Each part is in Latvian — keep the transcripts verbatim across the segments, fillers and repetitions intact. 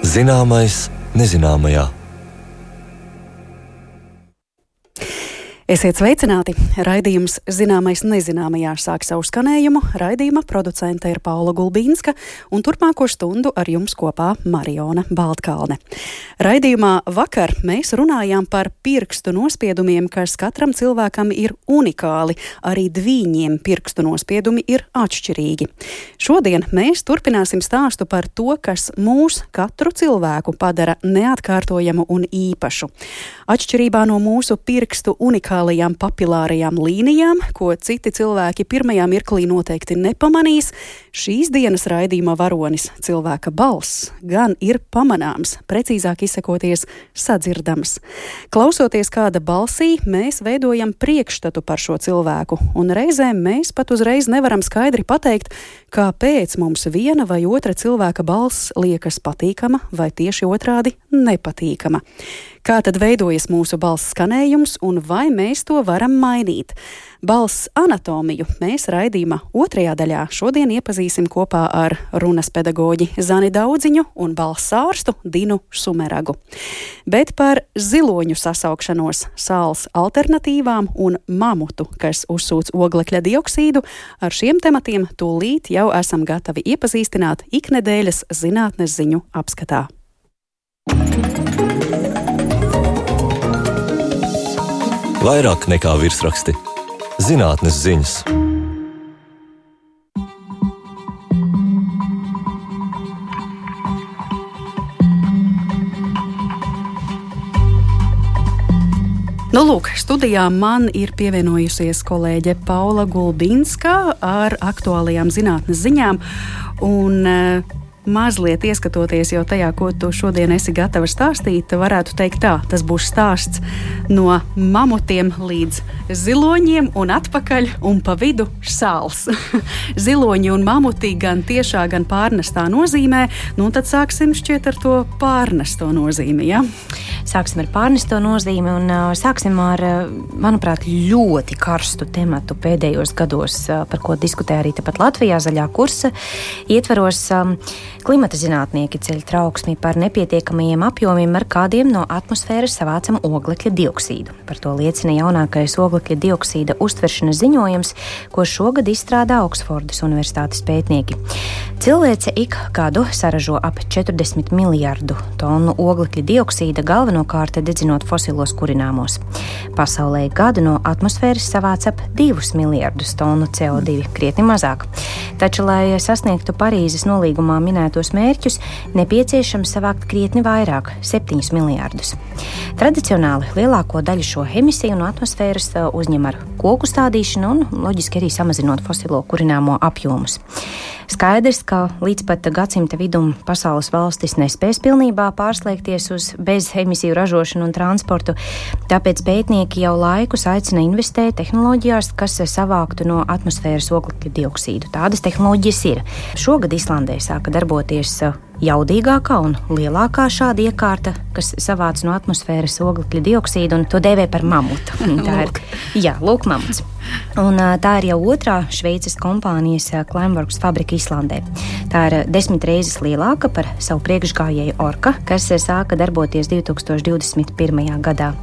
Zināmais nezināmajā. Esiet sveicināti! Raidījums Zināmais nezināmajā sāk savu skanējumu. Raidījuma producente ir Paula Gulbīnska un turpmāko stundu ar jums kopā Mariona Baltkalne. Raidījumā vakar mēs runājām par pirkstu nospiedumiem, kas katram cilvēkam ir unikāli. Arī dvīņiem pirkstu nospiedumi ir atšķirīgi. Šodien mēs turpināsim stāstu par to, kas mūs, katru cilvēku, padara neatkārtojamu un īpašu. Atšķirībā no mūsu pirkstu unikāli papilārajām līnijām, ko citi cilvēki pirmajā mirklī noteikti nepamanīs, šīs dienas raidījuma varonis cilvēka balss gan ir pamanāms, precīzāk izsakoties sadzirdams. Klausoties kāda balsī, mēs veidojam priekšstatu par šo cilvēku, un reizēm mēs pat uzreiz nevaram skaidri pateikt, kāpēc mums viena vai otra cilvēka balss liekas patīkama vai tieši otrādi nepatīkama. Kā tad veidojas mūsu balss skanējums un vai mēs to varam mainīt? Balss anatomiju mēs raidījuma otrajā daļā šodien iepazīsim kopā ar runas pedagoģi Zani Daudziņu un balss ārstu Dinu Sumeragu. Bet par ziloņu sasaukšanos, sāls alternatīvām un mamutu, kas uzsūc oglekļa dioksīdu, ar šiem tematiem tūlīt jau esam gatavi iepazīstināt iknedēļas zinātnes ziņu apskatā. Vairāk nekā virsraksti. Zinātnes ziņas. Nu, lūk, studijā man ir pievienojusies kolēģe Paula Gulbīnska ar aktuālajām zinātnes ziņām un uh, mazliet ieskatoties jau tajā, ko tu šodien esi gatava stāstīt, varētu teikt tā, tas būs stāsts no mamutiem līdz ziloņiem un atpakaļ un pa vidu sāls. Ziloņi un mamuti gan tiešā, gan pārnestā nozīmē, nu tad sāksim šķiet ar to pārnesto nozīmi, ja? Sāksim ar pārnesto nozīmi un uh, sāksim ar, manuprāt, ļoti karstu tematu pēdējos gados, uh, par ko diskutē arī tepat Latvijā zaļā kursa ietvaros. Um, Klimata zinātnieki ceļ trauksmi par nepietiekamajiem apjomiem, ar kādiem no atmosfēras savācam oglekļa dioksīdu. Par to liecina jaunākais oglekļa dioksīda uztveršanas ziņojums, ko šogad izstrādā Oksfordas universitātes pētnieki. Cilvēce ik gadu saražo ap četrdesmit miljardu tonu oglekļa dioksīda, galvenokārt dedzinot fosilos kurināmos. Pasaulē gadu no atmosfēras savāc ap divus miljardus tonu C O divi, krietni mazāk. Taču, lai sasniegtu Parīzes nolīgumā minētos mērķus, nepieciešams savākt krietni vairāk – septiņus miljardus. Tradicionāli lielāko daļu šo emisiju no atmosfēras uzņem ar koku stādīšanu un, loģiski, arī samazinot fosilo kurināmo apjomus. Skaidrs, ka līdz pat gadsimta vidum pasaules valstis nespēs pilnībā pārslēgties uz bezemisiju ražošanu un transportu, tāpēc pētnieki jau laikus aicina investēt tehnoloģijās, kas savāktu no atmosfēras oglekļa dioksīdu. Tādas tehnoloģijas ir. Šogad Islandē sāka darboties jaudīgākā un lielākā šāda iekārta, kas savāc no atmosfēras oglekļa dioksīdu, un to dēvē par mamutu. Tā ir, jā, lūk, mamuts. Un tā ir jau otrā Šveices kompānijas Climeworks fabrika Islandē. Tā ir desmit reizes lielāka par savu priekšgājēju Orka, kas sāka darboties divi tūkstoši divdesmit pirmajā gadā.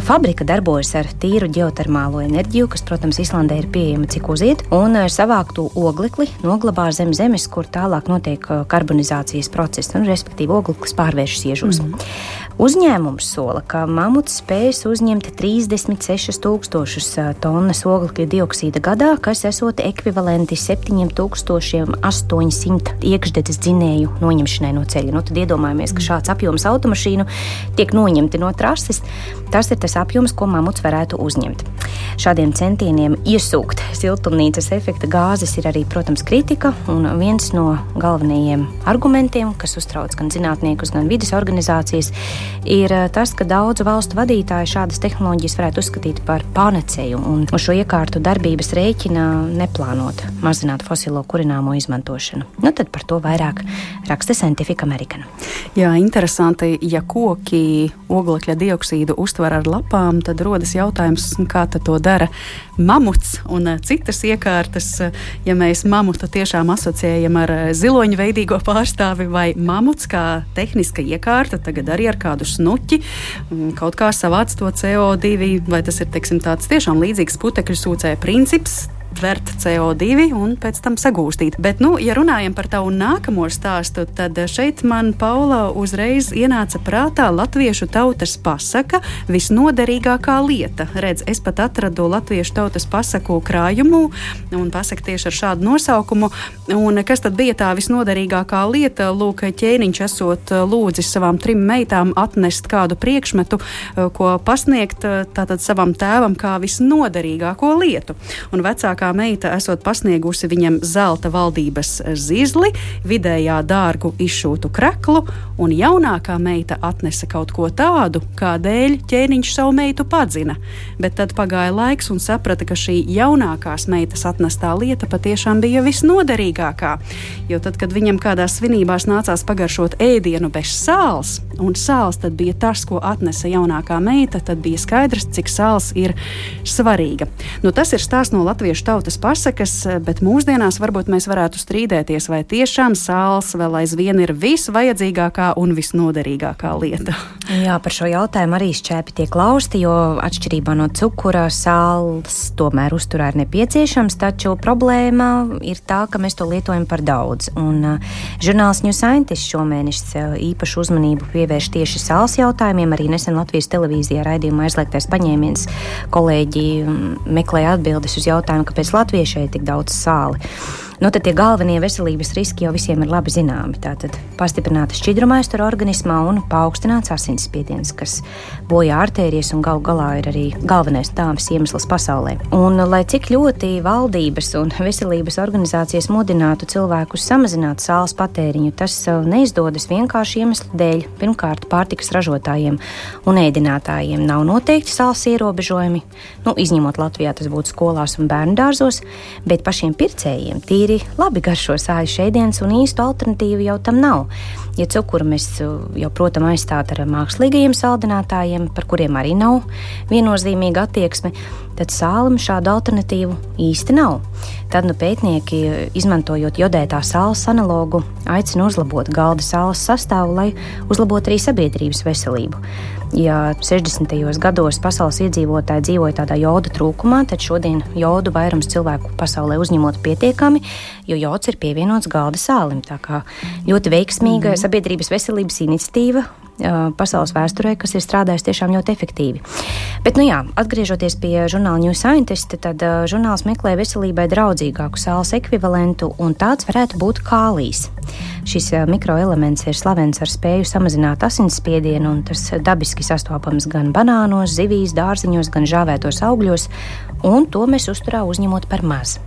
Fabrika darbojas ar tīru ģeotermālo enerģiju, kas, protams, Islandē ir pieejama cik uziet, un savāktu oglekli noglabā zem zemes, kur tālāk notiek karbonizācijas process, un respektīvi ogleklis pārvēršas iežos. Mm. Uzņēmums sola, ka mamuts spējas uzņemt trīsdesmit sešas tūkstošus tonnas oglekļa dioksīda gadā, kas esot ekvivalenti septiņiem tūkstošiem astoņsimt iekšdedzes dzinēju noņemšanai no ceļa. Nu, tad iedomājamies, ka šāds apjoms automašīnu tiek noņemti no trases. Tas ir tas apjoms, ko mamuts varētu uzņemt. Šādiem centieniem iesūkt siltumnīcas efekta gāzes ir arī, protams, kritika, un viens no galvenajiem argumentiem, kas uztrauc gan zinātniekus, gan vides organizācijas, ir tas, ka daudzu valstu vadītāji šādas tehnoloģijas varētu uzskatīt par panacēju, un uz šo iekārtu darbības rēķina neplānot mazināt fosilo kurināmo izmantošanu. Nu, tad par to vairāk raksta Scientific American. Jā, interesanti, ja koki oglekļa dioksīdu uztver ar lapām, tad rodas jautājums, kā tad to dara mamuts un citas iekārtas. Ja mēs mamutu tiešām asociējam ar ziloņveidīgo pārstāvi vai mamuts kā tehniska iekārta, tagad arī ar kādu snuķi, kaut kā savāc to C O divi, vai tas ir, teiksim, tāds tiešām līdzīgs putekļu sūcēja princips, tvert C O divi un pēc tam sagūstīt. Bet, nu, ja runājam par tavu nākamo stāstu, tad šeit man, Paula, uzreiz ienāca prātā latviešu tautas pasaka visnoderīgākā lieta. Redz, es pat atradu latviešu tautas pasaku krājumu un pasaku tieši ar šādu nosaukumu. Un kas tad bija tā visnoderīgākā lieta? Lūk, ķēniņš esot lūdzis savām trim meitām atnest kādu priekšmetu, ko pasniegt tātad savam tēvam kā visnoderīgāko lietu. Un vecākā meita esot pasniegusi viņam zelta valdības zizli, vidējā dārgu izšūtu kreklu, un jaunākā meita atnesa kaut ko tādu, kādēļ ķēniņš savu meitu padzina. Bet tad pagāja laiks un saprata, ka šī jaunākās meitas atnestā lieta patiešām bija visnoderīgākā. Jo tad, kad viņam kādās svinībās nācās pagaršot ēdienu bez sāls, un sāls tad bija tas, ko atnesa jaunākā meita, tad bija skaidrs, cik sāls ir svarīga. Nu, tas ir stāsts no latviešu tautas pasakas, bet mūsdienās varbūt mēs varētu strīdēties, vai tiešām sāls vēl aizvien ir visvajadzīgākā un visnoderīgākā lieta. Jā, par šo jautājumu arī šķēpi tiek lausti, jo atšķirībā no cukura sāls tomēr uzturā ir nepieciešams, taču problēma ir tā, ka mēs to lietojam par daudz. Un uh, žurnāls New Scientist šomēnes uh, īpašu uzmanību pievērš tieši sāls jautājumiem. Arī nesen Latvijas televīzijā raidījumā Aizliegtais paņēmiens kolēģi um, meklēja atbildes uz jautājumu, kāpēc latviešai ir tik daudz sāli. Nu, tad tie galvenie veselības riski jau visiem ir labi zināmi. Tātad pastiprināta šķidrumaiztura organismā un paaugstināts asinsspiediens, kas bojā artērijas un galu galā ir arī galvenais nāves iemesls pasaulē. Un, lai cik ļoti valdības un veselības organizācijas mudinātu cilvēkus samazināt sāls patēriņu, tas neizdodas vienkārši iemeslu dēļ. Pirmkārt, pārtikas ražotājiem un ēdinātājiem nav noteikti sāls ierobežojumi, nu, izņemot Latvijā tas būtu skolās un bērnu dārzos, bet pašiem pircējiem tīri labi garšo sāļu šēdienas un īstu alternatīvu jau tam nav. Ja cukuru mēs jau, protams, aizstāt ar mākslīgajiem saldinātājiem, par kuriem arī nav viennozīmīga attieksme, tad sālim šādu alternatīvu īsti nav. Tad nu pētnieki, izmantojot jodētā sāls analogu, aicina uzlabot galda sāls sastāvu, lai uzlabotu arī sabiedrības veselību. Ja sešdesmitajos gados pasaules iedzīvotāji dzīvoja tādā joda trūkumā, tad šodien jodu vairums cilvēku pasaulē uzņemot pietiekami, jo jods ir pievienots galda sālim. Tā kā ļoti veiksmīga mm-hmm. sabiedrības veselības iniciatīva pasaules vēsturē, kas ir strādājis tiešām ļoti efektīvi. Bet, nu jā, atgriežoties pie žurnāla New Scientist, tad uh, žurnāls meklē veselībai draudzīgāku sāls ekvivalentu, un tāds varētu būt kālijs. Šis uh, mikroelements ir slavens ar spēju samazināt asinsspiedienu, un tas dabiski sastopams gan banānos, zivīs, dārziņos, gan žāvētos augļos, un to mēs uzturā uzņemot par maz.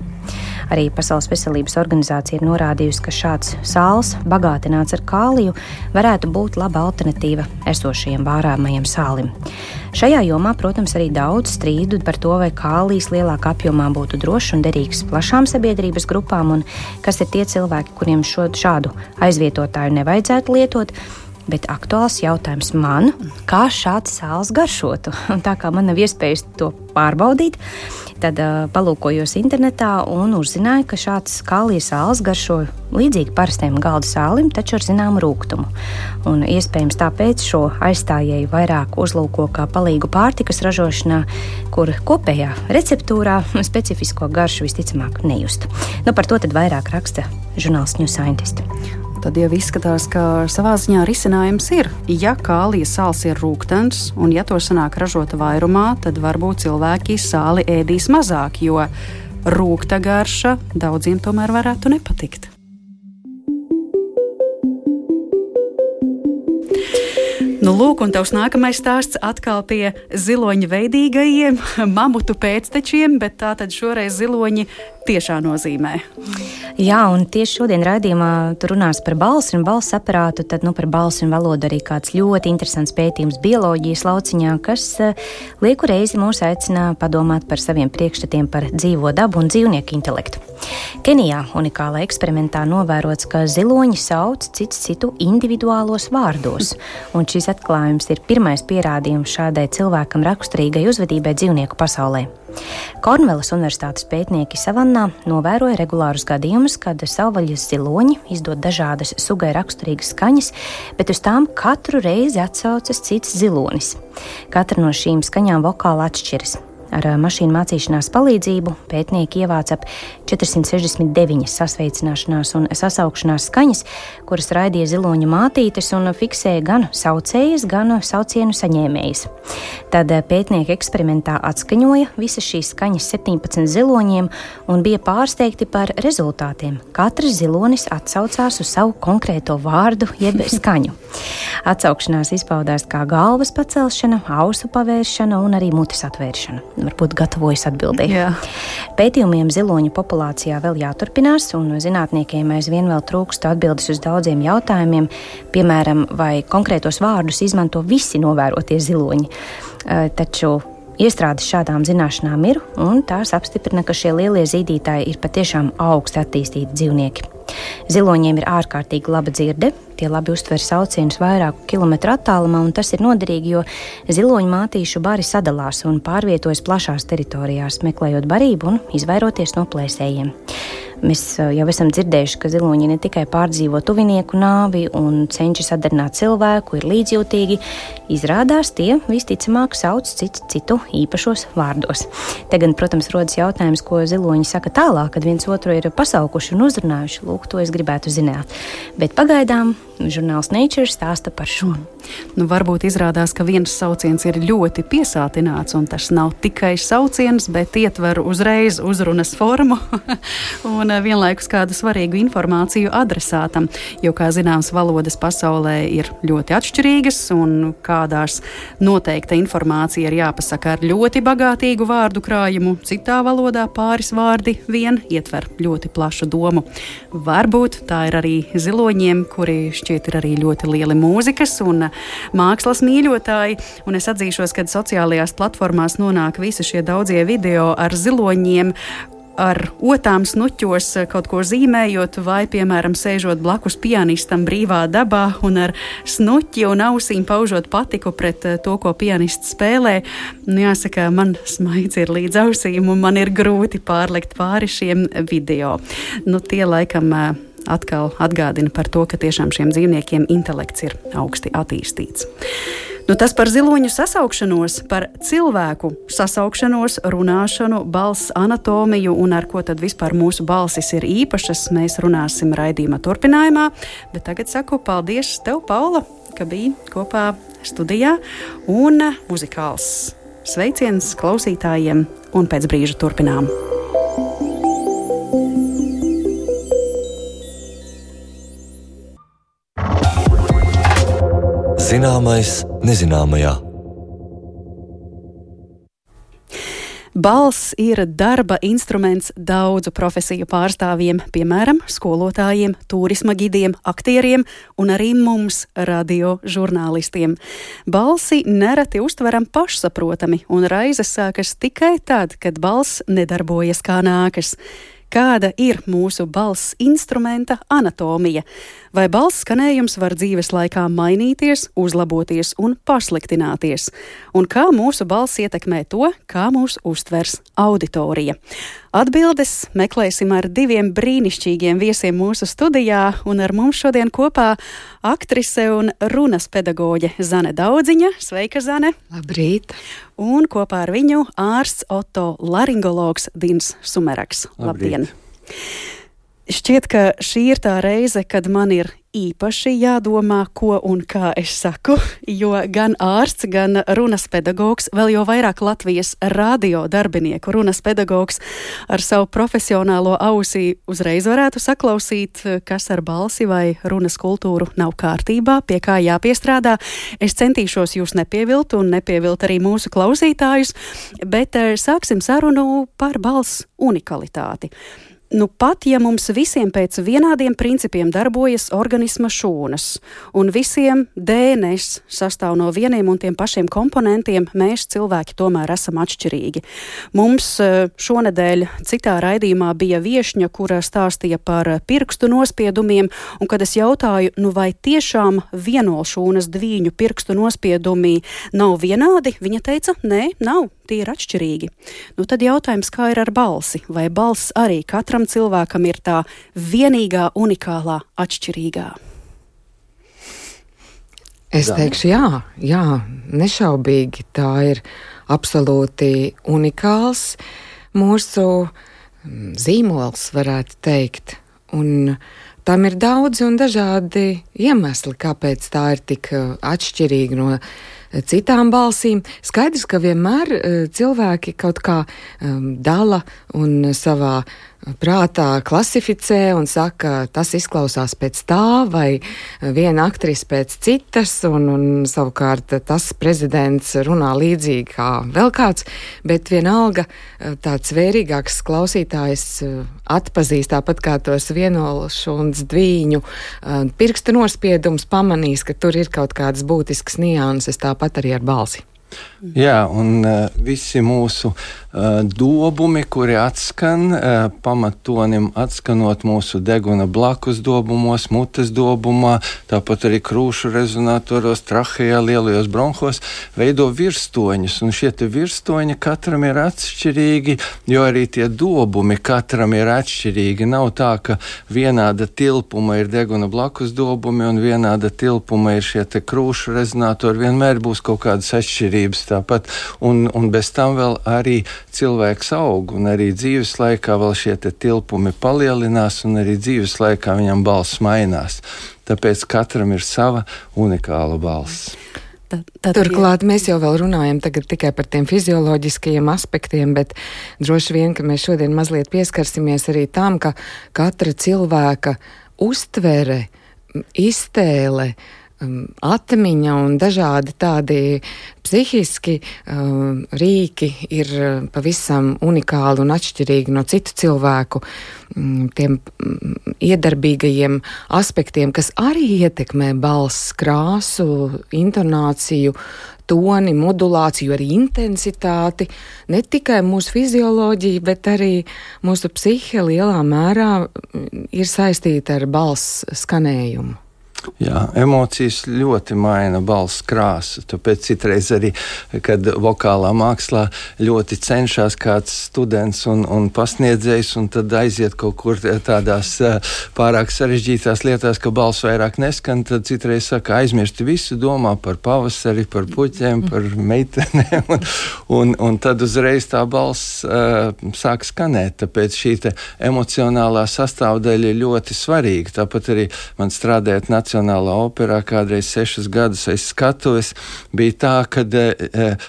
Arī Pasaules veselības organizācija ir norādījusi, ka šāds sāls, bagātināts ar kāliju, varētu būt laba alternatīva esošajiem vārāmajiem sālim. Šajā jomā, protams, arī daudz strīdu par to, vai kālijs lielākā apjomā būtu drošs un derīgs plašām sabiedrības grupām, un kas ir tie cilvēki, kuriem šo, šādu aizvietotāju nevajadzētu lietot. Bet aktuāls jautājums man, kā šāds sāls garšotu. Un tā kā man nav iespējas to pārbaudīt, tad uh, palūkojos internetā un uzzināju, ka šāds kālija sāls garšo līdzīgi parastiem galda sālim, taču ar zināmu rūgtumu. Un iespējams tāpēc šo aizstājēju vairāk uzlūko kā palīgu pārtikas ražošanā, kur kopējā receptūrā specifisko garšu visticamāk nejust. Nu, par to tad vairāk raksta žurnāls New Scientist. Tad jau izskatās, ka savā ziņā risinājums ir. Ja kālija sāls ir rūgtens, un ja to sanāk ražota vairumā, tad varbūt cilvēki sāli ēdīs mazāk, jo rūgta garša daudziem tomēr varētu nepatikt. Nu, lūk, un tavs nākamais stāsts atkal pie ziloņa veidīgajiem, mamutu pēctečiem, bet tā tad šoreiz ziloņi tiešā nozīmē. Jā, un tieši šodien raidījumā tu runās par balsi un balss aparātu, tad nu, par balsi un valodu arī kāds ļoti interesants pētījums bioloģijas lauciņā, kas lieku reizi mūs aicina padomāt par saviem priekšstatiem par dzīvo dabu un dzīvnieku intelektu. Kenijā unikālā eksperimentā novērots, ka ziloņi sauc cits citu individuālos vārdos, un šis atklājums ir pirmais pierādījums šādai cilvēkam raksturīgai uzvedībai dzīvnieku pasaulē. Kornvelas universitātes pētnieki savannā novēroja regulārus gadījumus, kad savvaļas ziloņi izdod dažādas sugai raksturīgas skaņas, bet uz tām katru reizi atsaucas cits zilonis. Katra no šīm skaņām vokāli atšķiras. Ar mašīnu mācīšanās palīdzību pētnieki ievāca ap četrsimt sešdesmit deviņas sasveicināšanās un sasaukšanās skaņas, kuras raidīja ziloņa mātītes un fiksēja gan saucējas, gan saucienu saņēmējas. Tad pētnieki eksperimentā atskaņoja visas šīs skaņas septiņpadsmit ziloņiem un bija pārsteigti par rezultātiem. Katrs zilonis atsaucās uz savu konkrēto vārdu jeb skaņu. Atsaukšanās izpaudās kā galvas pacelšana, ausu pavēršana un arī mutes atvēršana. Varbūt gatavojas atbildēt. Jā. Pētījumiem ziloņu populācijā vēl jāturpinās, un zinātniekiem aizvien vēl trūkst atbildes uz daudziem jautājumiem, piemēram, vai konkrētos vārdus izmanto visi novērotie ziloņi. Taču iestrādes šādām zināšanām ir, un tās apstiprina, ka šie lielie zīdītāji ir patiešām augsti attīstīti dzīvnieki. Ziloņiem ir ārkārtīgi laba dzirde, tie labi uztver saucienus vairāku kilometru attālumā, un tas ir noderīgi, jo ziloņu mātīšu bari sadalās un pārvietojas plašās teritorijās, meklējot barību un izvairoties no plēsējiem. Mēs jau esam dzirdējuši, ka ziloņi ne tikai pārdzīvo tuvinieku nāvi un cenšas atdarināt cilvēku, ir līdzjūtīgi. Izrādās, tie visticamāk sauc citu, citu īpašos vārdos. Te gan, protams, rodas jautājums, ko ziloņi saka tālāk, kad viens otru ir pasaukuši un uzrunājuši. Lūk, to es gribētu zināt. Bet pagaidām žurnāls Nature stāsta par šo. Nu, varbūt izrādās, ka viens sauciens ir ļoti piesātināts, un tas nav tikai sauciens, bet ietver uzreiz uzrunas formu un vienlaikus kādu svarīgu informāciju adresātam, jo, kā zināms, valodas pasaulē ir ļoti atšķirīgas, un kādās noteikta informācija ir jāpasaka ar ļoti bagātīgu vārdu krājumu, citā valodā pāris vārdi vien ietver ļoti plašu domu. Varbūt tā ir arī ziloņiem, kuri šķiet ir arī ļoti lieli mūzikas un mākslas mīļotāji, un es atzīšos, kad sociālajās platformās nonāk visi šie daudzie video ar ziloņiem, ar otām snuķos kaut ko zīmējot, vai, piemēram, sēžot blakus pianistam brīvā dabā un ar snuķi un ausīm paužot patiku pret to, ko pianists spēlē. Nu, jāsaka, man smaids ir līdz ausīm, un man ir grūti pārlikt pāri šiem video. Nu, tie laikam atkal atgādina par to, ka tiešām šiem dzīvniekiem intelekts ir augsti attīstīts. Nu, tas par ziloņu sasaukšanos, par cilvēku sasaukšanos, runāšanu, balss anatomiju un ar ko tad vispār mūsu balsis ir īpašas, mēs runāsim raidījuma turpinājumā, bet tagad saku paldies tev, Paula, ka biji kopā studijā, un muzikāls sveiciens klausītājiem, un pēc brīža turpinām. Zināmais nezināmajā. Balss ir darba instruments daudzu profesiju pārstāvjiem, piemēram, skolotājiem, turisma gidiem, aktieriem un arī mums, radio žurnālistiem. Balsi nereti uztveram pašsaprotami, un raizes sākas tikai tad, kad balss nedarbojas kā nākas. Kāda ir mūsu balss instrumenta anatomija? Vai balss skanējums var dzīves laikā mainīties, uzlaboties un pasliktināties? Un kā mūsu balss ietekmē to, kā mūs uztvers auditorija? Atbildes meklēsim ar diviem brīnišķīgiem viesiem mūsu studijā, un ar mums šodien kopā aktrise un runas pedagoģe Zane Daudziņa. Sveika, Zane! Labrīt! Un kopā ar viņu ārsts otolaringologs Dins Sumeraks. Labdien! Šķiet, ka šī ir tā reize, kad man ir īpaši jādomā, ko un kā es saku, jo gan ārsts, gan runas pedagogs, vēl jau vairāk Latvijas radio darbinieku runas pedagogs ar savu profesionālo ausī uzreiz varētu saklausīt, kas ar balsi vai runas kultūru nav kārtībā, pie kā jāpiestrādā. Es centīšos jūs nepievilt un nepievilt arī mūsu klausītājus, bet sāksim sarunu par balss unikalitāti. Nu, pat ja mums visiem pēc vienādiem principiem darbojas organisma šūnas, un visiem D N S sastāv no vieniem un tiem pašiem komponentiem, mēs cilvēki tomēr esam atšķirīgi. Mums šonedēļ citā raidījumā bija viešņa, kura stāstīja par pirkstu nospiedumiem, un kad es jautāju, nu vai tiešām vienolšūnas dvīņu pirkstu nospiedumi nav vienādi, viņa teica, nē, nav, tie ir atšķirīgi. Nu, tad jautājums, kā ir ar balsi? Vai balss arī katram cilvēkam ir tā vienīgā, unikālā, atšķirīgā? Es teikšu, jā, jā, nešaubīgi tā ir absolūti unikāls mūsu zīmols, varētu teikt. Un tam ir daudzi un dažādi iemesli, kāpēc tā ir tik atšķirīga no citām balsīm. Skaidrs, ka vienmēr cilvēki kaut kā um, dala un savā prātā klasificē un saka, tas izklausās pēc tā, vai viena aktrise pēc citas, un, un savukārt tas prezidents runā līdzīgi kā vēl kāds, bet vienalga tāds vērīgāks klausītājs atpazīst, tāpat kā tos vienolšūnas dvīņu pirksta nospiedums, pamanīs, ka tur ir kaut kādas būtiskas nianses, tāpat arī ar balsi. Jā, un uh, visi mūsu uh, dobumi, kuri atskan, uh, pamatonim atskanot mūsu deguna blakus dobumos, mutes dobumā, tāpat arī krūšu rezonatoros, trahejā, lielajos bronhos, veido virstoņus, un šie te virstoņi katram ir atšķirīgi, jo arī tie dobumi katram ir atšķirīgi. Nav tā, ka vienāda tilpuma ir deguna blakus dobumi, un vienāda tilpuma ir šie te krūšu rezonatori, vienmēr būs kaut kādas atšķirības. Tāpat, un, un bez tam vēl arī cilvēks aug, un arī dzīves laikā vēl šie te tilpumi palielinās, un arī dzīves laikā viņam balss mainās. Tāpēc katram ir sava unikāla balss. Tad, tad Turklāt mēs jau vēl runājam tagad tikai par tiem fizioloģiskajiem aspektiem, bet droši vien, ka mēs šodien mazliet pieskarsimies arī tam, ka katra cilvēka uztvere, iztēle, atmiņa un dažādi tādi psihiski uh, rīki ir pavisam unikāli un atšķirīgi no citu cilvēku um, tiem um, iedarbīgajiem aspektiem, kas arī ietekmē balss krāsu, intonāciju, toni, modulāciju, arī intensitāti, ne tikai mūsu fizioloģija, bet arī mūsu psihe lielā mērā ir saistīta ar balss skanējumu. Jā, emocijas ļoti maina balss krāsu, tāpēc citreiz arī, kad vokālā mākslā ļoti cenšas kāds students un, un pasniedzējs, un tad aiziet kaut kur tādās pārāk sarežģītās lietās, ka balss vairāk neskan, tad citreiz saka, aizmirsti visu, domā par pavasari, par puķiem, par meitenēm, un, un, un tad uzreiz tā balss uh, sāk skanēt, tāpēc šī te emocionālā sastāvdaļa ir ļoti svarīga. Tāpat arī man strādājot Nacionālā operā kādreiz sešus gadus aiz skatuves bija tā, kad,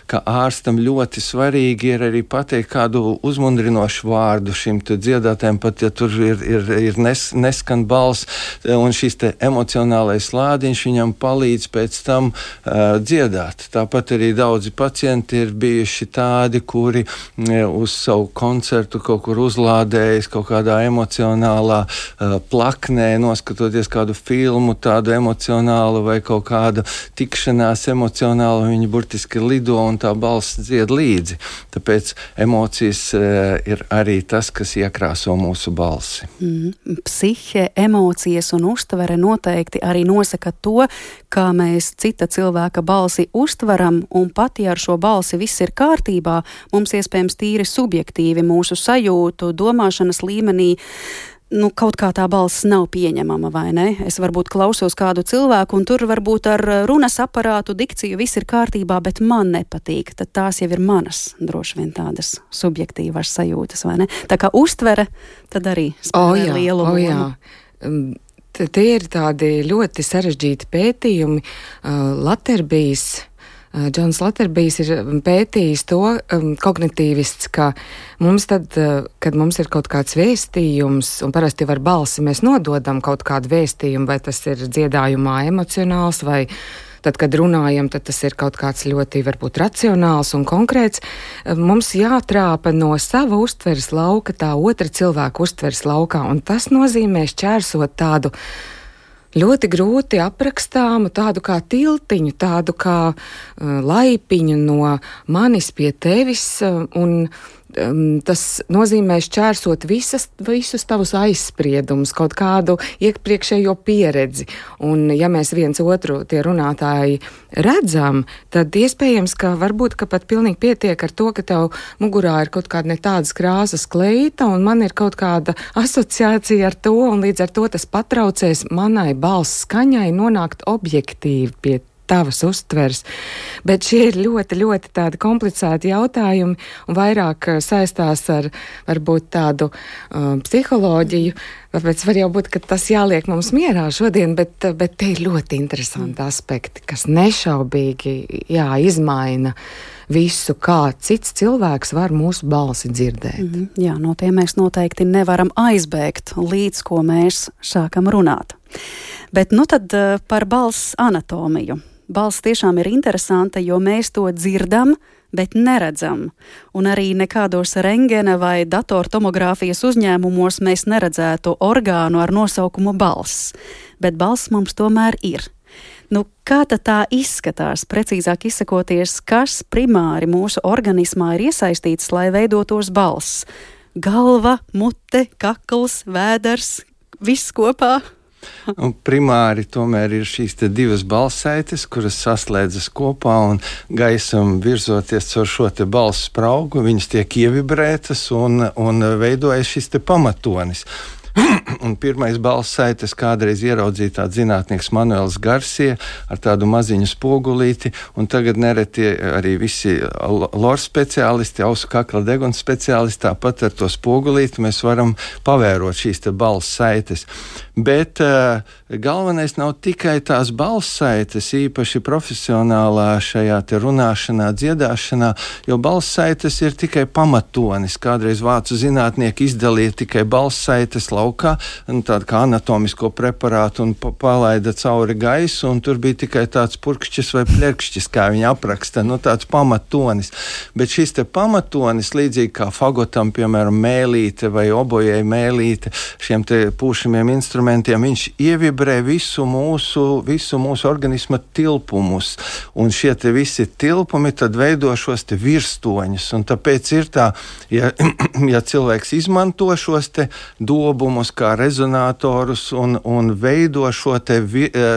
ka ārstam ļoti svarīgi ir arī pateikt kādu uzmundrinošu vārdu šim te dziedātājiem, pat ja tur ir, ir, ir nes, neskan balss, un šis te emocionālais lādiņš viņam palīdz pēc tam uh, dziedāt. Tāpat arī daudzi pacienti ir bijuši tādi, kuri uz savu koncertu kaut kur uzlādējas kaut kādā emocionālā uh, plaknē, noskatoties kādu filmu, tādu emocionālu vai kaut kādu tikšanās emocionālu, viņi burtiski lido un tā balss dzied līdzi. Tāpēc emocijas e, ir arī tas, kas iekrāso mūsu balsi. Mm, psihe, emocijas un uztvere noteikti arī nosaka to, kā mēs cita cilvēka balsi uztveram, un pat ja ar šo balsi viss ir kārtībā, mums iespējams tīri subjektīvi mūsu sajūtu, domāšanas līmenī nu, kaut kā tā balss nav pieņemama, vai ne? Es varbūt klausos kādu cilvēku, un tur varbūt ar runas aparātu, dikciju viss ir kārtībā, bet man nepatīk. Tad tās jau ir manas, droši vien tādas subjektīvas sajūtas, vai ne? Tā kā uztvere, tad arī spēlē oh, lielu lomu. Oh, jā. Tie ir tādi ļoti sarežģīti pētījumi. Uh, Laterbijs Džons Laterbijs ir pētījis to, um, kognitīvists, ka mums tad, uh, kad mums ir kaut kāds vēstījums, un parasti ar balsi mēs nododam kaut kādu vēstījumu, vai tas ir dziedājumā emocionāls vai tad, kad runājam, tad tas ir kaut kāds ļoti varbūt racionāls un konkrēts. Mums jātrāpa no sava uztveres lauka tā otra cilvēka uztveres laukā, un tas nozīmē šķērsot tādu ļoti grūti aprakstāmu, tādu kā tiltiņu, tādu kā uh, laipiņu no manis pie tevis, uh, un um, tas nozīmē šķērsot visas, visus tavus aizspriedumus, kaut kādu iepriekšējo pieredzi. Un ja mēs viens otru tie runātāji redzam, tad iespējams, ka varbūt, ka pat pilnīgi pietiek ar to, ka tev mugurā ir kaut kāda ne tādas krāsas kleita, un man ir kaut kāda asociācija ar to, un līdz ar to tas patraucēs manai balss skaņai nonākt objektīvi pie tavas uztveres. Bet šie ir ļoti, ļoti tādi komplicēti jautājumi un vairāk saistās ar varbūt tādu um, psiholoģiju. Tāpēc var jau būt, ka tas jāliek mums mierā šodien, bet, bet te ir ļoti interesanti aspekti, kas nešaubīgi jā, izmaina visu, kā cits cilvēks var mūsu balsi dzirdēt. Mm, jā, no tiem mēs noteikti nevaram aizbēgt, līdz ko mēs sākam runāt. Bet nu tad par balss anatomiju. Balss tiešām ir interesanta, jo mēs to dzirdam, bet neredzam. Un arī nekādos rentgena vai datortomogrāfijas uzņēmumos mēs neredzētu orgānu ar nosaukumu balss. Bet balss mums tomēr ir. Nu, kā tad tā izskatās, precīzāk izsakoties, kas primāri mūsu organismā ir iesaistīts, lai veidotos balss? Galva, mute, kakls, vēders, viss kopā? Un primāri tomēr ir šīs te divas balssaites, kuras saslēdzas kopā un gaisam virzoties caur šo te balss spraugu, viņas tiek ievibrētas un, un veidojas šis te pamatonis. Un pirmais balssaites kādreiz ieraudzīja tāds zinātnieks Manuels Garcia ar tādu maziņu spogulīti, un tagad nereti arī visi lor speciālisti, ausu kakla deguns speciālisti, tāpat ar to spogulīti mēs varam pavērot šīs te balssaites. Bet uh, galvenais nav tikai tās balssaites, īpaši profesionālā šajā te runāšanā, dziedāšanā, jo balssaites ir tikai pamatonis. Kādreiz vācu zinātnieki izdalīja tikai balssaites laukā, tādu kā anatomisko preparātu un palaida cauri gaisu, un tur bija tikai tāds purkšķis vai plerkšķis, kā viņi apraksta, nu tāds pamatonis. Bet šis te pamatonis, līdzīgi kā fagotam, piemēram, mēlīte vai obojai mēlīte, šiem te pūšamiem instrumentiem, viņš ievibrē visu mūsu, visu mūsu organisma tilpumus, un šie te visi tilpumi tad veido šos te virstoņus, un tāpēc ir tā, ja, ja cilvēks izmanto šos te dobumus kā rezonatorus un, un veido šo te,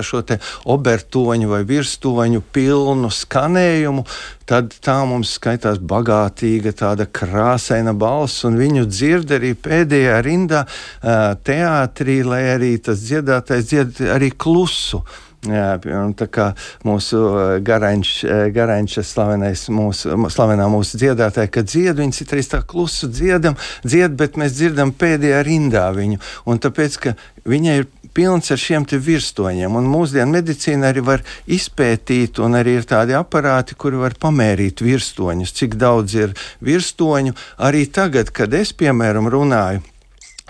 šo te obertoņu vai virstoņu pilnu skanējumu, tad tā mums skaitās bagātīga, tāda krāsaina balss, un viņu dzird arī pēdējā rindā teātrī, lai arī tas dziedātais dzied arī klusu. Jā, tā kā mūsu Garaņš, Garaņša slavenais mūsu, slavenā mūsu dziedātāja, kad dzied, viņi citreiz tā klusu dziedam, dzied, bet mēs dzirdam pēdējā rindā viņu, un tāpēc, ka viņai ir pilns ar šiem te virstoņiem, un mūsdienu medicīna arī var izpētīt, un arī ir tādi aparāti, kuri var pamērīt virstoņus, cik daudz ir virstoņu. Arī tagad, kad es, piemēram, runāju,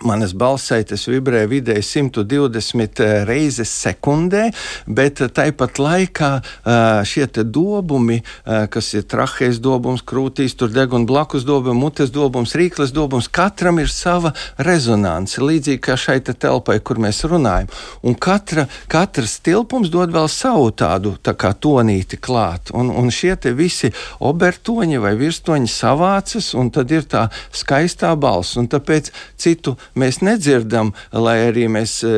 manas balssaites vibrē vidēji simt divdesmit reizes sekundē, bet tāpat laikā šie te dobumi, kas ir trahejas dobums, krūtīs, tur deguna blakus dobumi, mutes dobums, rīkles dobums, katram ir sava rezonance, līdzīgi kā šai te telpai, kur mēs runājam. Un katra, katrs tilpums dod vēl savu tādu tā kā tonīti klāt. Un, un šie te visi obertoņi vai virstoņi savācas, un tad ir tā skaistā balss. Un tāpēc citu mēs nedzirdam, lai arī mēs e,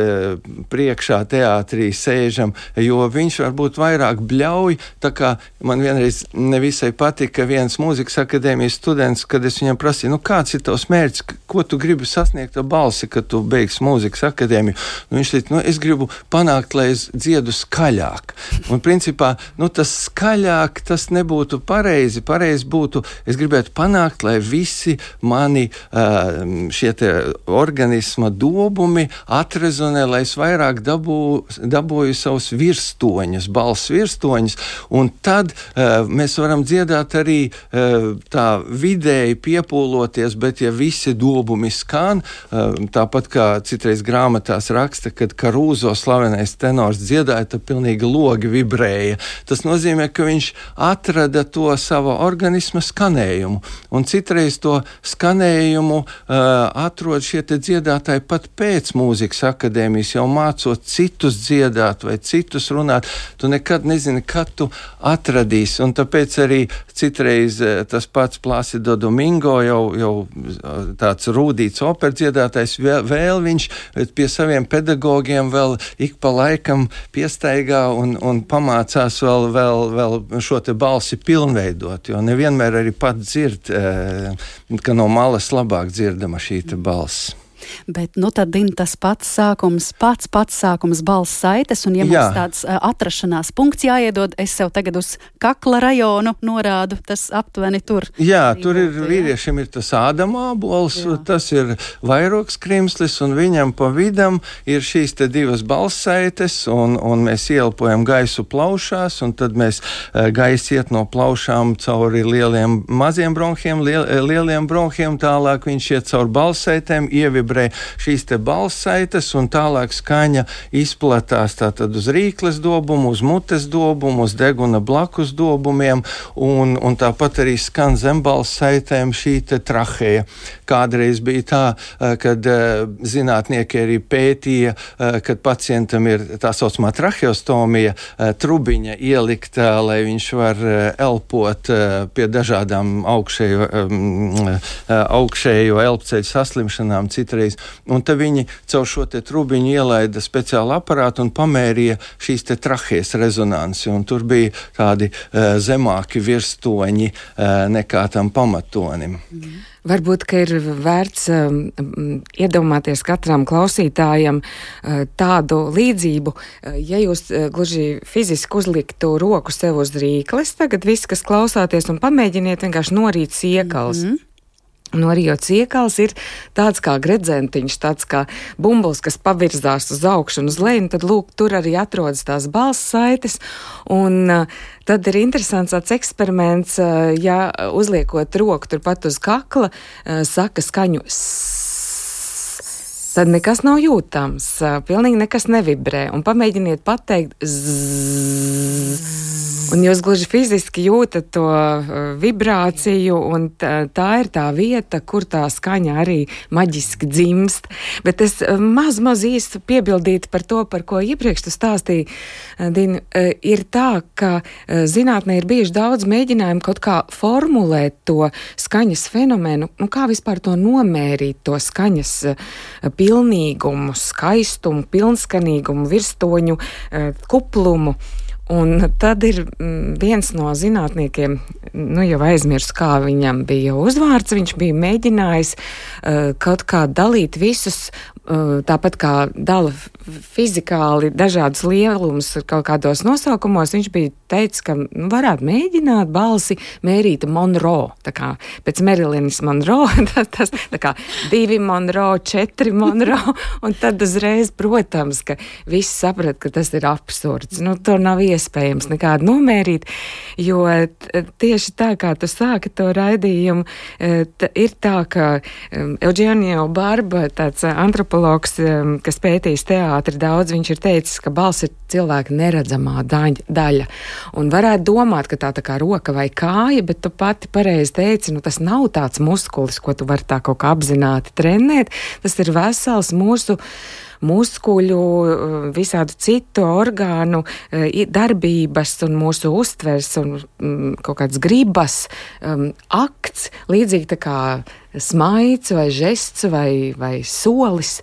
priekšā teātrī sēžam, jo viņš varbūt vairāk bļauj, tā kā man vienreiz nevisai patika viens mūzikas akadēmijas students, kad es viņam prasīju, nu kāds ir tavs mērķis, ko tu gribi sasniegt ar balsi, kad tu beigsi mūzikas akadēmiju? Nu, viņš teica, nu es gribu panākt, lai es dziedu skaļāk. Un principā, nu tas skaļāk, tas nebūtu pareizi, pareizi būtu, es gribētu panākt, lai visi mani uh, šie te organisma dobumi atrezonē, lai es vairāk dabū, dabūju savus virstoņus, balss virstoņus, un tad uh, mēs varam dziedāt arī uh, tā vidēji piepūloties, bet ja visi dobumi skan, uh, tāpat kā citreiz grāmatās raksta, kad Karūzo slavenais tenors dziedāja, tad pilnīgi logi vibrēja. Tas nozīmē, ka viņš atrada to sava organisma skanējumu, un citreiz to skanējumu uh, atrod šie te dziedātāji pat pēc mūzikas akadēmijas, jau mācot citus dziedāt vai citus runāt. Tu nekad nezini, kad tu atradīsi, un tāpēc arī citreiz uh, tas pats Plácido Domingo, jau, jau tāds rūdīts operdziedātājs, vēl, vēl viņš pie saviem pedagogiem vēl ik pa laikam piestaigā un, un pamācās vēl, vēl, vēl šo te balsi pilnveidot, jo nevienmēr arī pat dzird, ka no malas labāk dzirdama šī te balss. Bet, nu, tad, Dina, tas pats sākums, pats pats sākums balss saites, un ja mums Jā. tāds uh, atrašanās punkts jāiedod, es sev tagad uz kakla rajonu norādu, tas aptuveni tur. Jā, tur ir, vīriešiem ir tas ādama ābols, tas ir vairogs krimslis, un viņam pa vidam ir šīs te divas balss saites, un, un mēs ieelpojam gaisu plaušās, un tad mēs uh, gaisa iet no plaušām cauri lieliem maziem bronhiem, liel, lieliem bronhiem, tālāk viņš iet cauri balss saitēm, ievibrē šīs te balss saites, un tālāk skaņa izplatās tātad uz rīkles dobumu, uz mutes dobumu, uz deguna blakus dobumiem, un, un tāpat arī skan zem balss saitēm šī te traheja. Kādreiz bija tā, kad zinātnieki arī pētīja, kad pacientam ir tā saucamā traheostomija, trubiņa ielikta, lai viņš var elpot pie dažādām augšējo, augšējo elpceļu saslimšanām, citreiz. Un te viņi caur šo te trubiņu ielaida speciālu aparātu un pamērīja šīs te trahejas rezonansi, un tur bija tādi uh, zemāki virstoņi uh, nekā tam pamatonim. Mm. Varbūt, ka ir vērts um, iedomāties katram klausītājam uh, tādu līdzību, uh, ja jūs uh, gluži fiziski uzliktu roku sev uz rīkles, tagad viss, kas klausāties, un pamēģiniet vienkārši norīt siekals. Mm-hmm. Norījot siekals ir tāds kā gredzentiņš, tāds kā bumbulis, kas pavirzās uz augšu un uz leju, un tad, lūk, tur arī atrodas tās balss saites, un uh, tad ir interesants tāds eksperiments, uh, ja uzliekot roku turpat uz kakla, uh, saka skaņu zzz, tad nekas nav jūtams, uh, pilnīgi nekas nevibrē, un pamēģiniet pateikt zzz, un jūs gluži fiziski jūtat to uh, vibrāciju, un tā, tā ir tā vieta, kur tā skaņa arī maģiski dzimst. Bet es uh, maz, maz īsti piebildītu par to, par ko iepriekš tu stāstīji, uh, Dina, uh, ir tā, ka uh, zinātnē ir bijuši daudz mēģinājumu kaut kā formulēt to skaņas fenomenu, nu kā vispār to nomērīt, to skaņas uh, pilnīgumu, skaistumu, pilnskanīgumu, virstoņu, uh, kuplumu. Un tad ir viens no zinātniekiem, nu jau aizmirsu, kā viņam bija uzvārds, viņš bija mēģinājis uh, kaut kā dalīt visus, uh, tāpat kā dala fizikāli dažādus lielumus kaut kādos nosaukumos, viņš bija teicis, ka nu, varētu mēģināt balsi mērīt Monroe, tā kā pēc Merilinas Monroe, tas, tas tā kā divi Monroe, četri Monroe, un tad uzreiz, protams, ka visi saprat, ka tas ir absurds. Nu, to nav iespējams nekādu nomērīt, jo tieši tā, kā tu sāki to raidījumu, t- ir tā, ka Eugenio Barba, tāds antropologs, kas pētījis teātri daudz, viņš ir teicis, ka balss ir cilvēka neredzamā daļa, daļa. Un varētu domāt, ka tā tā kā roka vai kāja, bet tu pati pareizi teici, nu tas nav tāds muskulis, ko tu vari tā kaut kā apzināti trenēt, tas ir vesels mūsu muskuļu, visādu citu orgānu darbības un mūsu uztvers un kaut kāds gribas um, akts, līdzīgi tā kā smaids vai žests vai, vai solis.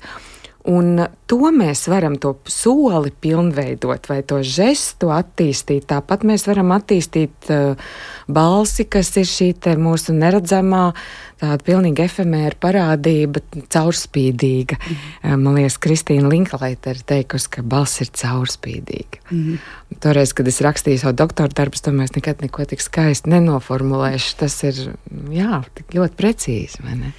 Un to mēs varam to soli pilnveidot vai to žestu attīstīt. Tāpat mēs varam attīstīt uh, balsi, kas ir šī te mūsu neredzamā, tāda pilnīgi efemēra parādība, caurspīdīga. Mm. Man liekas, Kristīna Linklaita ir teikusi, ka balss ir caurspīdīga. Mm. Toreiz, kad es rakstīju savu doktora darbus, to mēs nekad neko tik skaisti nenoformulēšu. Tas ir, jā, tik ļoti precīzi, vai ne?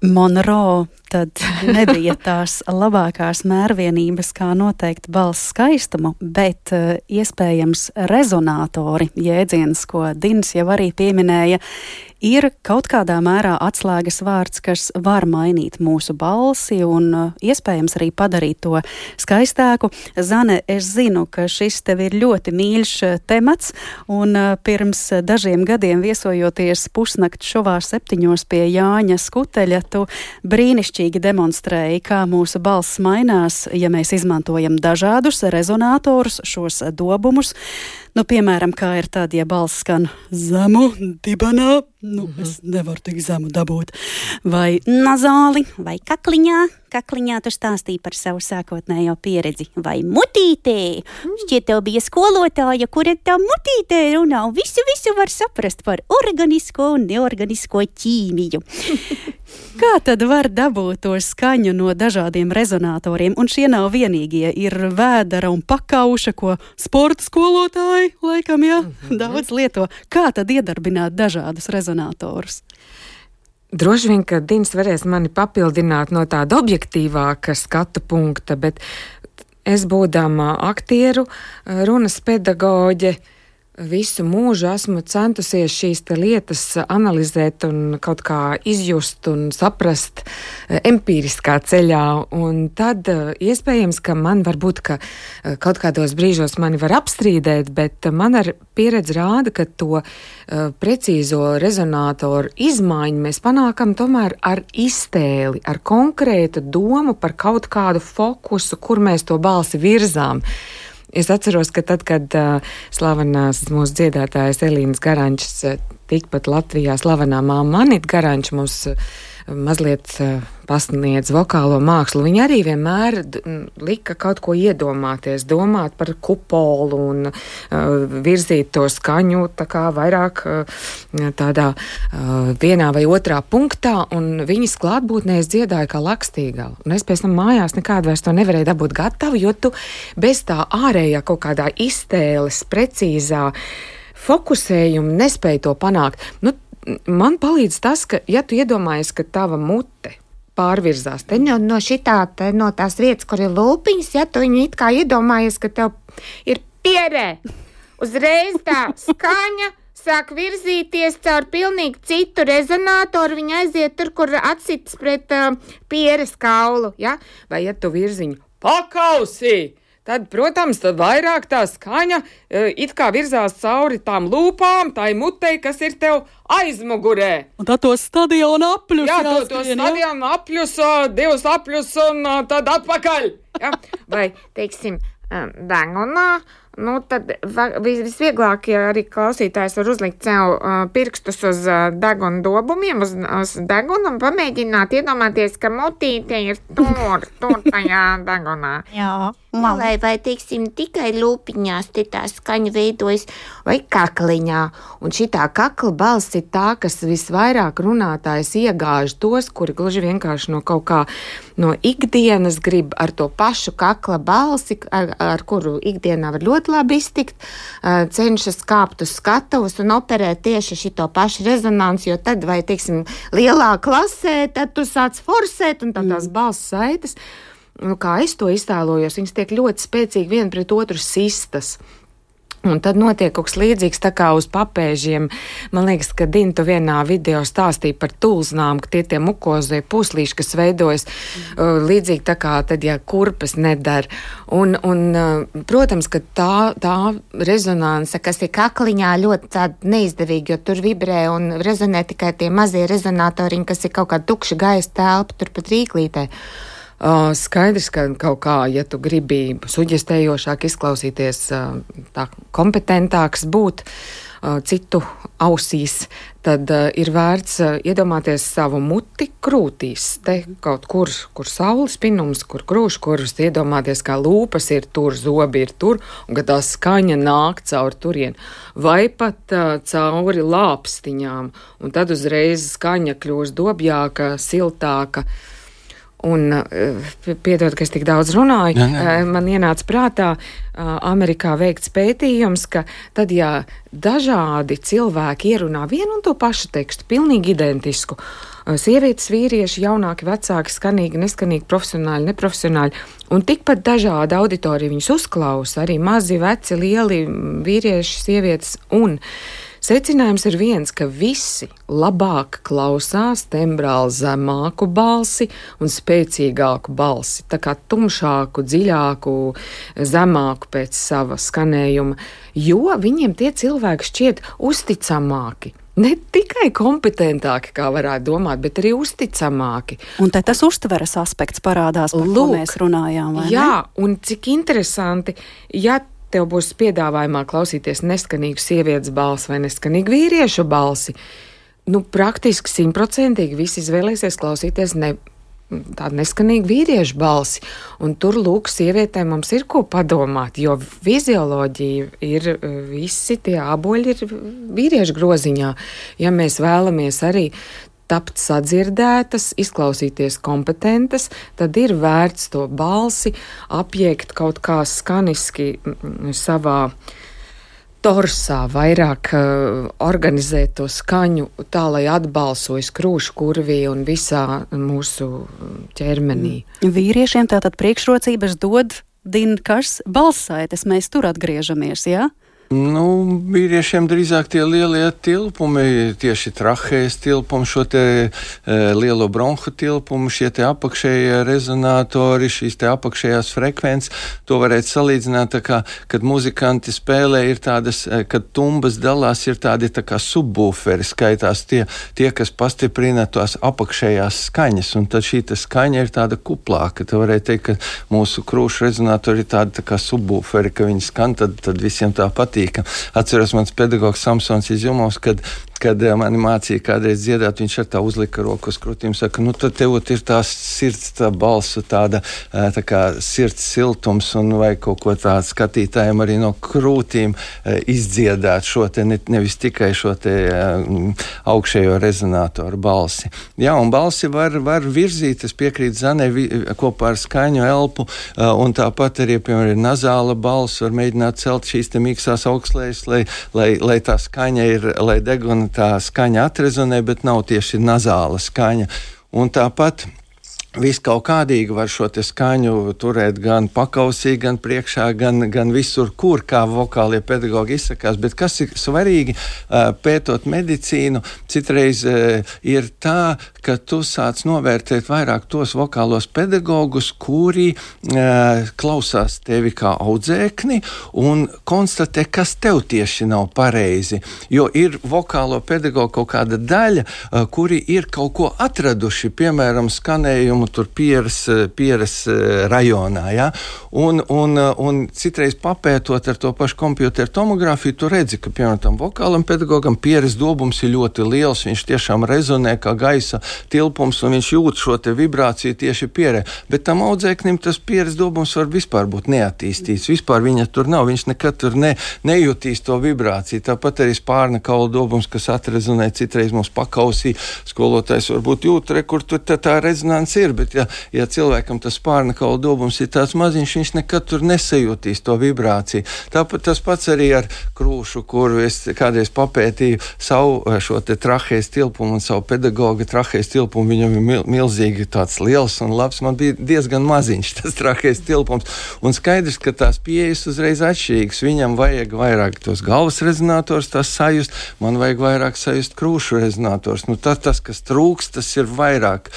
Monroe tad nebija tās labākās mērvienības, kā noteikt balss skaistumu, bet uh, iespējams rezonātori, jēdziens, ko Dins jau arī pieminēja, ir kaut kādā mērā atslēgas vārds, kas var mainīt mūsu balsi un uh, iespējams arī padarīt to skaistāku. Zane, es zinu, ka šis tev ir ļoti mīļš temats, un uh, pirms dažiem gadiem viesojoties pusnakt šovā septiņos pie Jāņa Skuteļa, tu brīnišķīgi demonstrēji, kā mūsu balss mainās, ja mēs izmantojam dažādus rezonātorus, šos dobumus. Nu, piemēram, kā ir tad, ja balss skan zemu, dibenā, nu, mm-hmm. es nevaru tik zemu dabūt, vai nazāli, vai kakliņā, kakliņā tu stāstīji par savu sākotnējo pieredzi, vai mutītē, mm. šķiet tev bija skolotāja, kura tā mutītē runā, un visu, visu var saprast par organisko un neorganisko ķīmiju. Kā tad var dabūt to skaņu no dažādiem rezonātoriem? Un šie nav vienīgie. Ir vēdera un pakauša, ko sporta skolotāji, laikam, jā, mm-hmm. daudz lieto. Kā tad iedarbināt dažādus rezonātorus? Droši vien, ka Dins varēs mani papildināt no tāda objektīvāka skatu punkta, bet es būdama aktieru, runas pedagoģe, visu mūžu esmu centusies šīs te lietas analizēt un kaut kā izjust un saprast empīriskā ceļā. Un tad iespējams, ka man varbūt, ka kaut kādos brīžos mani var apstrīdēt, bet man ar pieredzi rāda, ka to precīzo rezonātoru izmaiņu mēs panākam tomēr ar iztēli, ar konkrētu domu par kaut kādu fokusu, kur mēs to balsi virzām. Es atceros, ka tad, kad uh, slavenās mūsu dziedātājas Elīnas Garančs, uh, tikpat Latvijā slavenā māma Anita Garančs mums uh, mazliet uh, pasniedz vokālo mākslu, viņa arī vienmēr d- lika kaut ko iedomāties, domāt par kupolu un uh, virzīt to skaņu tā kā vairāk uh, tādā uh, vienā vai otrā punktā, un viņas klātbūtnē es dziedāju kā Lakstīgala. Un es pēc tam mājās nekādu vairs to nevarēju dabūt gatavu, jo tu bez tā ārējā kaut kādā iztēles, precīzā fokusējuma nespēji to panākt. Nu, man palīdz tas, ka, ja tu iedomājies, ka tava mute pārvirzās te no, no šitā, te, no tās vietas, kur ir lūpiņas, ja tu viņu it kā iedomājies, ka tev ir pierē, uzreiz tā skaņa sāk virzīties caur pilnīgi citu rezonātoru, viņa aiziet tur, kur atsits pret uh, pieres kaulu, ja? Vai ja tu virziņu pakausī, tad, protams, tad vairāk tā skaņa uh, it kā virzās cauri tām lūpām, tai mutei, kas ir tev aizmugurē. Un tad to stadionu apļus. Jā, to, to stadionu apļus, uh, divus apļus un uh, tad atpakaļ. Ja? Vai, teiksim, degunā, nu tad visvieglāk, ja arī klausītājs var uzlikt sev uh, pirkstus uz uh, deguna dobumiem, uz, uz deguna un pamēģināt iedomāties, ka mutīte ir tur, tur tajā degunā. Jā. Vai, vai, teiksim, tikai lūpiņās te tā skaņa veidojas, vai kakliņā. Un šitā kakla balss ir tā, kas visvairāk runātājs iegāž tos, kuri gluži vienkārši no kaut kā no ikdienas grib ar to pašu kakla balsi, ar, ar kuru ikdienā var ļoti labi iztikt, cenšas kāpt uz skatuvus un operēt tieši šito pašu rezonanci, jo tad, vai, teiksim, lielā klasē, tad tu sāc forsēt un tad tās balss saites. Nu, kā es to iztēlojos, viņas tiek ļoti spēcīgi viena pret otru sistas. Un tad notiek kaut kas līdzīgs tā kā uz papēžiem. Man liekas, ka Dintu vienā video stāstīja par tulznām, ka tie tie mukozie puslīši, kas veidojas uh, līdzīgi tā kā tad, ja kurpes nedara. Un, un uh, protams, ka tā, tā rezonanse, kas ir kakliņā, ļoti tāda neizdevīga, jo tur vibrē un rezonē tikai tie mazie rezonatoriņi, kas ir kaut kā tukša gaisa telpa, turpat rīklītē. Uh, skaidrs, ka kaut kā, ja tu gribi suģestējošāk izklausīties, uh, tā kompetentāks būt uh, citu ausīs, tad uh, ir vērts uh, iedomāties savu muti krūtīs. Te kaut kur, kur saules pinums, kur krūškurvs, iedomāties, kā lūpas ir tur, zobi ir tur, un ka tā skaņa nāk caur turien. Vai pat uh, cauri lāpstiņām, un tad uzreiz skaņa kļūst dobjāka, siltāka. Un, piedod, ka es tik daudz runāju, jā, jā. Man ienāca prātā Amerikā veikts pētījums, ka tad, ja dažādi cilvēki ierunā vienu un to pašu tekstu, pilnīgi identisku, sievietes, vīrieši, jaunāki, vecāki, skanīgi, neskanīgi, profesionāļi, neprofesionāļi, un tikpat dažāda auditorija viņus uzklausa, arī mazi, veci, lieli, vīrieši, sievietes, un secinājums ir viens, ka visi labāk klausās tembrāli zemāku balsi un spēcīgāku balsi, tā kā tumšāku, dziļāku, zemāku pēc sava skanējuma, jo viņiem tie cilvēki šķiet uzticamāki. Ne tikai kompetentāki, kā varētu domāt, bet arī uzticamāki. Un te tas uztveres aspekts parādās, par Lūk, ko mēs runājām, vai jā, ne? Un cik interesanti, ja tev būs piedāvājumā klausīties neskanīgu sievietes balsi vai neskanīgu vīriešu balsi, nu praktiski simtprocentīgi visi izvēlēsies klausīties ne tādu neskanīgu vīriešu balsi. Un tur, lūk, sievietēm mums ir ko padomāt, jo fizioloģija ir, visi tie āboļi ir vīriešu groziņā. Ja mēs vēlamies arī tapt sadzirdētas, izklausīties kompetentas, tad ir vērts to balsi apjēgt kaut kā skaniski savā torsā, vairāk uh, organizēt to skaņu tā, lai atbalsojas krūšu kurvī un visā mūsu ķermenī. Vīriešiem tātad priekšrocības dod Dinkas balssaites, mēs tur atgriežamies, jā? Nu, vīriešiem drīzāk tie lielie tilpumi, tieši trahējas tilpumi, šo te e, lielo bronhu tilpumu, šie te apakšējie rezonātori, šīs te apakšējās frekvences, to varētu salīdzināt tā kā, kad muzikanti spēlē ir tādas, kad tumbas dalās ir tādi tā kā subbūferi, skaitās tie, tie, kas pastiprina tās apakšējās skaņas, un tad šī skaņa ir tāda kuplāka, tā varētu teikt, ka mūsu krūšu rezonātori ir tādi tā kā subbūferi, ka viņi skan, tad, tad visiem tā patīk. Atceros, mans pedagogs Samsons izjumos, kad, kad mani mācīja kādreiz dziedāt, viņš ar tā uzlika roku uz krūtīm, saka, nu tad tev ir tās sirds, tā balsu, tāda tā kā sirds siltums un vai kaut ko tādu skatītājiem arī no krūtīm izdziedāt šo te, ne, nevis tikai šo te augšējo rezonātoru balsi. Jā, un balsi var, var virzīt, es piekrītu Zanai, kopā ar skaņu elpu, un tāpat arī, piemēram, ir nazāla balss, var mēģināt celt šīs te mīkstās augstslējas, lai, lai, lai tā skaņa ir, lai deguna tā skaņa atrezonē, bet nav tieši nazāla skaņa. Un tāpat viss kaut kādīgi var šo te skaņu turēt gan pakausī, gan priekšā, gan, gan visur, kur, kā vokālie pedagogi izsakās, bet kas ir svarīgi pētot medicīnu, citreiz ir tā, ka tu sāc novērtēt vairāk tos vokālos pedagogus, kuri klausās tevi kā audzēkni un konstatē, kas tev tieši nav pareizi, jo ir vokālo pedagogu kaut kāda daļa, kuri ir kaut ko atraduši, piemēram, skanējumu tur Pieras, Pieras rajonā, ja? un, un, un citreiz papētot ar to pašu kompjuteru tomogrāfiju, tu redzi, ka, piemēram, tam vokālam pedagogam Pieras dobums ir ļoti liels, viņš tiešām rezonē kā gaisa tilpums, un viņš jūt šo te vibrāciju tieši Pierē, bet tam audzēknim tas Pieras dobums var vispār būt neattīstīts, vispār viņa tur nav, viņš nekad tur ne, nejūtīs to vibrāciju, tāpat arī spārna kaula dobums, kas atrezonē citreiz mums pakausī, skolotājs varbūt jūt, re, kur tur tā, tā rezonanci ir, bet ja, ja cilvēkam tas spārna kaula dobums ir tāds maziņš, viņš nekad tur nesajūtīs to vibrāciju. Tāpat tas pats arī ar krūšu, kuru es kādreiz papētīju savu šo te trahējas tilpumu un savu pedagoga trahējas tilpumu, viņam ir mil, milzīgi tāds liels un labs, man bija diezgan maziņš tas trahējas tilpums, un skaidrs, ka tās pieejas uzreiz atšķirīgas, viņam vajag vairāk tos galvas rezonators, tas sajust, man vajag vairāk sajust krūšu rezonators, nu tas, tas kas trūks, tas ir vairāk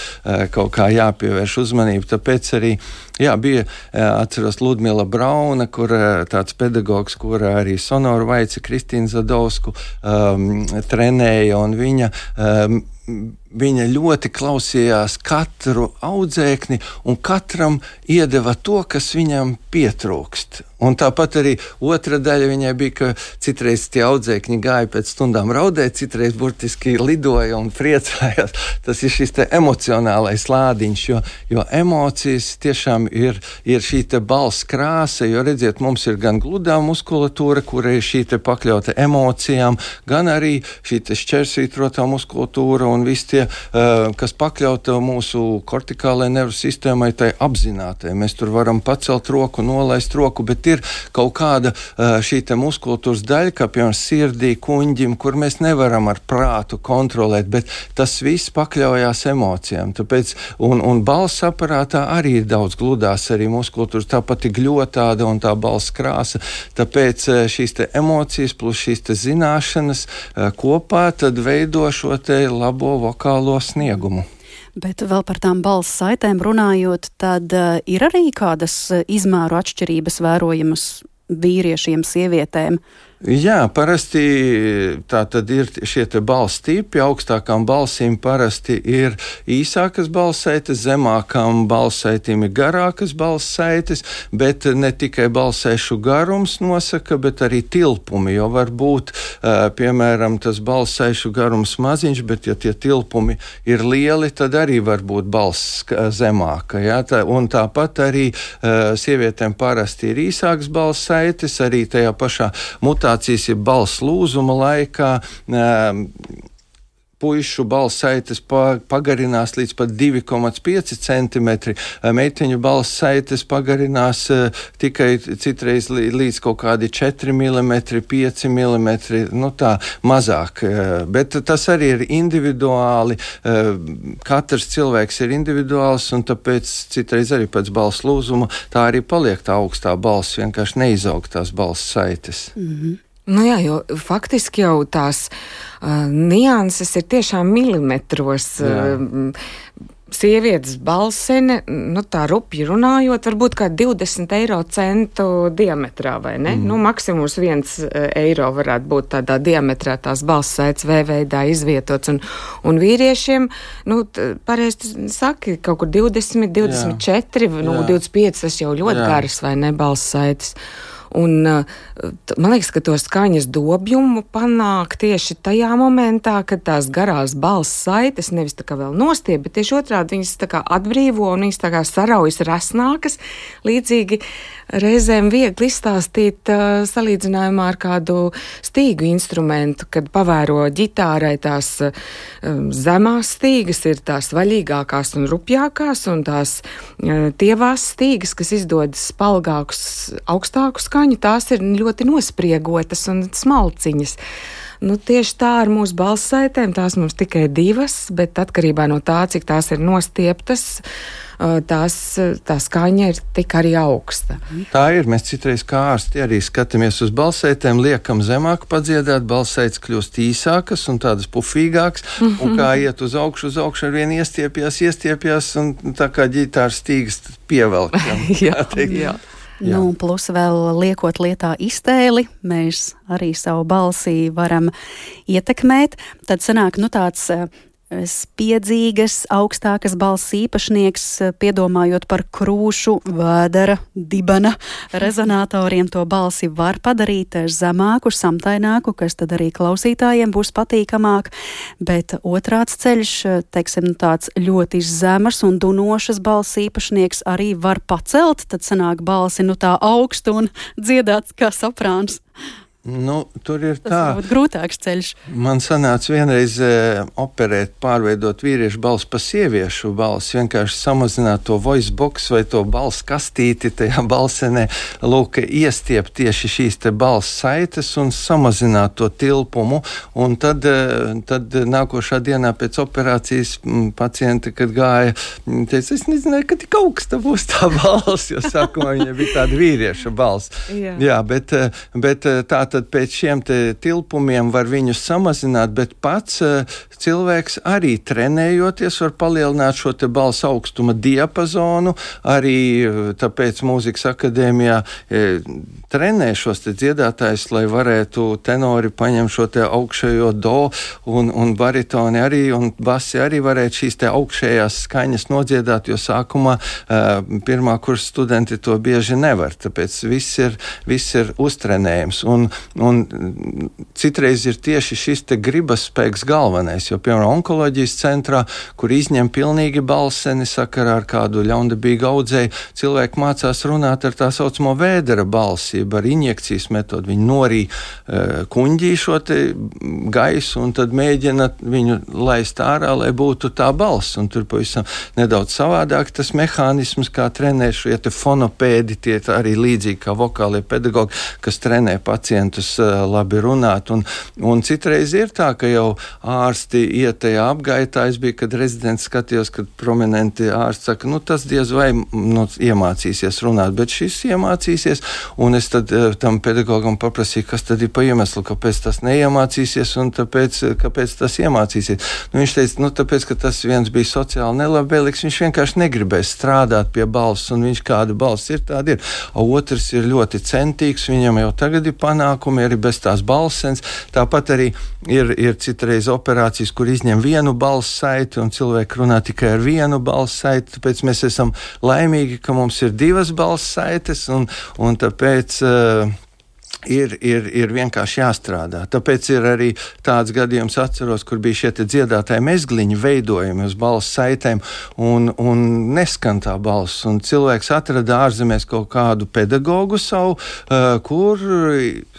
kaut kā jāpievērš uzmanību, tāpēc arī, jā, bija, atceros, Ludmila Brauna, kur tāds pedagogs, kur arī Sonoru Vaici, Kristīnu Zadovsku um, trenēja, un viņa um, viņa ļoti klausījās katru audzēkni un katram iedeva to, kas viņam pietrūkst. Un tāpat arī otra daļa viņai bija, ka citreiz tie audzēkņi gāja pēc stundām raudēt, citreiz burtiski lidoja un priecājās. Tas ir šis te emocionālais lādiņš, jo, jo emocijas tiešām cilvēkiem ir, ir šī te balss krāsa, jo redziet, mums ir gan gludā muskulatūra, kura ir šī te pakļauta emocijām, gan arī šī te šķērsvītrotā muskulatūra un visi tie, kas pakļauta mūsu kortikālajai nervu sistēmai, tai apzinātai. Mēs tur varam pacelt roku, nolaist roku, bet ir kaut kāda šī te muskulatūras daļa, kā piemēram sirdī, kuņģim, kur mēs nevaram ar prātu kontrolēt, bet tas viss pakļaujās emocijām. Tāpēc, un, un balss aparātā arī ir daudz gludās arī muskulatūras, tāpat ir gļotāda un tā balss krāsa. Tāpēc šīs te emocijas plus šīs te zināšanas kopā tad veido šo te labo vokālo sniegumu. Bet vēl par tām balss saitēm runājot, tad uh, ir arī kādas izmēru atšķirības vērojamas vīriešiem, sievietēm? Jā, parasti tā tad ir šie te balss tipi. Augstākām balsīm parasti ir īsākas balssaites, zemākām balssaitīm ir garākas balssaites, bet ne tikai balssaišu garums nosaka, bet arī tilpumi, jo var būt, piemēram, tas balssaišu garums maziņš, bet ja tie tilpumi ir lieli, tad arī var būt balss zemāka. Ja? Tā, un tāpat arī sievietēm parasti ir īsākas balssaites, arī tajā pašā mutācijā ir balss lūzuma laikā. Puišu balss saites pagarinās līdz pat divi komats pieci centimetri, meiteņu balss saites pagarinās tikai citreiz līdz kaut kādi četri milimetri, pieci milimetri, nu tā mazāk. Bet tas arī ir individuāli, katrs cilvēks ir individuāls, un tāpēc citreiz arī pēc balss lūzuma tā arī paliek tā augstā balss, vienkārši neizaug tās balss saites. Mm-hmm. Nu jā, jo faktiski jau tās uh, nianses ir tiešām milimetros. Uh, sievietes balsene, nu tā rupji runājot, varbūt kā divdesmit eiro centu diametrā, vai ne? Mm. Nu, maksimums viens eiro varētu būt tādā diametrā tās balss saites V veidā izvietots. Un, un vīriešiem, nu, pareizi saki, kaut kur divdesmit, divdesmit četri, jā. Nu, divdesmit pieci, tas jau ļoti jā. Garas, vai ne, balss saites. Un man liekas, ka to skaņas dobjumu panāk tieši tajā momentā, kad tās garās balss saites nevis tā kā vēl nostiep, bet tieši otrādi viņas tā kā atbrīvo un viņas tā kā saraujas resnākas. Līdzīgi reizēm viegli izstāstīt uh, salīdzinājumā ar kādu stīgu instrumentu, kad pavēro ģitārai tās uh, zemās stīgas ir tās vaļīgākās un rupjākās, un tās uh, tievās stīgas, kas izdod spalgākus, augstākus skaņu, tās ir ļoti nospriegotas un smalciņas. Nu, tieši tā ar mūsu balss saitēm, tās mums tikai divas, bet atkarībā no tā, cik tās ir nostieptas, tās, tā skaņa ir tik arī augsta. Tā ir, mēs citreiz kā ārsti arī skatāmies uz balssaitēm, liekam zemāk padziedāt, balssaites kļūst īsākas un tādas pufīgākas, mm-hmm. un kā iet uz augšu, uz augšu ar vien iestiepjās, iestiepjās, un tā kā ģitāras stīgas pievelkam. jā, jā. Jā. Nu, plus vēl liekot lietā iztēli, mēs arī savu balsī varam ietekmēt. Tad sanāk, nu tāds spiedzīgas, augstākas balss īpašnieks, piedomājot par krūšu, vēdera, dibena rezonatoriem, to balsi var padarīt zemāku, samtaināku, kas tad arī klausītājiem būs patīkamāk, bet otrāds ceļš, teiksim, tāds ļoti zemas un dunošas balss īpašnieks arī var pacelt, tad sanāk balsi nu tā augstu un dziedāt kā soprāns. Nu, tur ir tas tā. Tas varbūt grūtāks ceļš. Man sanāca vienreiz e, operēt, pārveidot vīriešu balsi pa sieviešu balsi, vienkārši samazināt to voice box vai to balss kastīti tajā balsenē, lūk, iestiept tieši šīs te balss saites un samazināt to tilpumu, un tad, e, tad nākošā dienā pēc operācijas m, pacienti, kad gāja, teica, es nezināju, ka tik augsta būs tā balss, jo sākumā viņa bija tāda vīrieša balss. Jā. Jā, bet, bet tā tad pēc šiem te tilpumiem var viņus samazināt, bet pats uh, cilvēks arī trenējoties var palielināt šo te balss augstuma diapazonu, arī uh, tāpēc mūzikas akadēmijā uh, trenē šos te dziedātājus, lai varētu tenori paņemt šo te augšējo do un, un baritoni arī un basi arī varētu šīs te augšējās skaņas nodziedāt, jo sākumā uh, pirmā kursa studenti to bieži nevar, tāpēc viss ir, viss ir uztrenējums. Un un citreiz ir tieši šis te gribas spēks galvenais, jo, piemēram, onkoloģijas centrā, kur izņem pilnīgi balseni sakarā ar kādu ļaundabīgu audzēju, cilvēki mācās runāt ar tā saucamo vēdera balsību, ar injekcijas metodu. Viņi norī uh, kuņģī šo te gaisu un tad mēģina viņu laist ārā, lai būtu tā balss. Un tur pavisam nedaudz savādāk tas mehānisms, kā trenē šie te fonopēdi, tie arī līdzīgi kā vokālie pedagogi, kas trenē pacientus uh, labi runāt. Un, un citreiz ir tā, ka jau ārsti iet tajā apgaitā. Es biju, kad rezidents skatījos, kad prominenti ārsti saka, nu tas diez vai nu, iemācīsies runāt, bet šis iemācīsies, un es tad uh, tam pedagogam paprasīju, kas tad ir pa iemeslu, kāpēc tas neiemācīsies, un tāpēc, kāpēc tas iemācīsies. Nu, viņš teica, nu tāpēc, ka tas viens bija sociāli nelabvēlīgs, viņš vienkārši negribēs strādāt pie balss, un viņš kāda balss ir, tāda ir. O otrs ir ļoti centīgs, viņam jau tagad ir panākumi, arī bez tās balsens. Tāpat arī ir, ir citreiz operācijas, kur izņem vienu balss saiti, un cilvēki runā tikai ar vienu balss saiti, tāpēc mēs esam laimīgi, ka mums ir divas balss saites, un, un tāpēc uh, Ir, ir, ir vienkārši jāstrādā. Tāpēc ir arī tāds gadījums, atceros, kur bija šie dziedātāji mezgliņi veidojumi uz balss saitēm, un, un neskan tā balss. Un cilvēks atrada ārzemēs kaut kādu pedagogu savu, uh, kur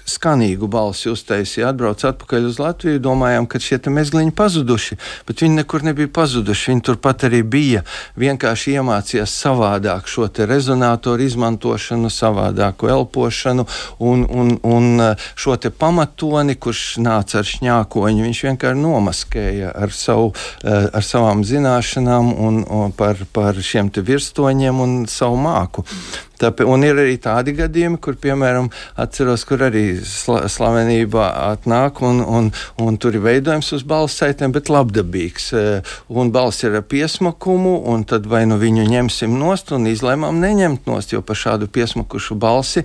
skanīgu balsi uztaisīja. Atbrauc atpakaļ uz Latviju, domājām, ka šie mezgliņi pazuduši, bet viņi nekur nebija pazuduši. Viņi turpat arī bija. Vienkārši iemācījās savādāk šo te rezonātoru izmantošanu, savādāku elpošanu un, un un šo te pamatoni, kurš nāca ar šņākoņu, viņš vienkārši nomaskēja ar, savu, ar savām zināšanām un, un par, par šiem te virstoņiem un savu māku. Tāpēc, un ir arī tādi gadījumi, kur, piemēram, atceros, kur arī sla, slavenība atnāk un, un, un tur ir veidojums uz balss saitēm, bet labdabīgs. Un balss ir ar piesmakumu, un tad vai nu viņu ņemsim nost un izlēmām neņemt nost, jo par šādu piesmakušu balsi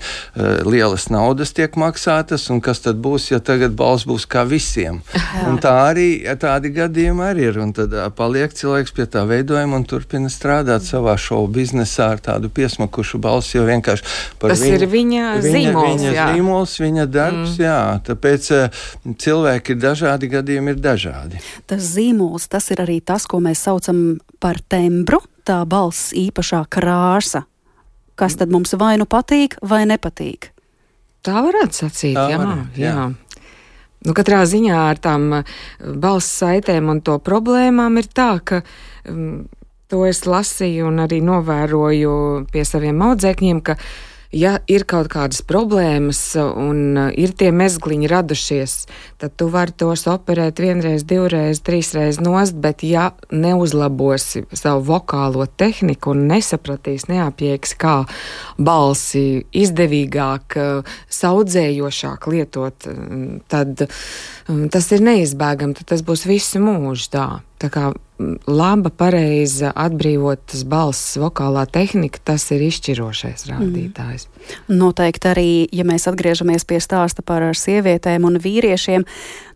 lielas naudas tiek maksātas, un kas tad būs, ja tagad balss būs kā visiem. Un tā arī, tādi gadījumi arī ir, un tad paliek cilvēks pie tā veidojuma un turpina strādāt savā šovu biznesā ar tādu piesmakušu balsi. Jo vienkārši par tas viņu, ir viņa zīmols, viņa, jā. zīmols, viņa darbs, mm. jā. Tāpēc uh, cilvēki ir dažādi, gadījumi ir dažādi. Tas zīmols, tas ir arī tas, ko mēs saucam par tembru, tā balss īpašā krāsa. Kas tad mums vai nu patīk, vai nepatīk? Tā varētu sacīt, Tā jā, varētu, jā. jā. Nu, katrā ziņā ar tām balss saitēm un to problēmām ir tā, ka um, to es lasīju un arī novēroju pie saviem audzēkņiem, ka ja ir kaut kādas problēmas un ir tie mezgliņi radušies, tad tu vari tos operēt vienreiz, divreiz, trīsreiz nost, bet ja neuzlabosi savu vokālo tehniku un nesapratīs, neapjēgs, kā balsi izdevīgāk, saudzējošāk lietot, tad tas ir neizbēgami, tad tas būs visu mūžu tā. Tā kā laba, pareiza, atbrīvotas balss, vokālā tehnika, tas ir izšķirošais rādītājs. Mm. Noteikti arī, ja mēs atgriežamies pie stāsta par sievietēm un vīriešiem,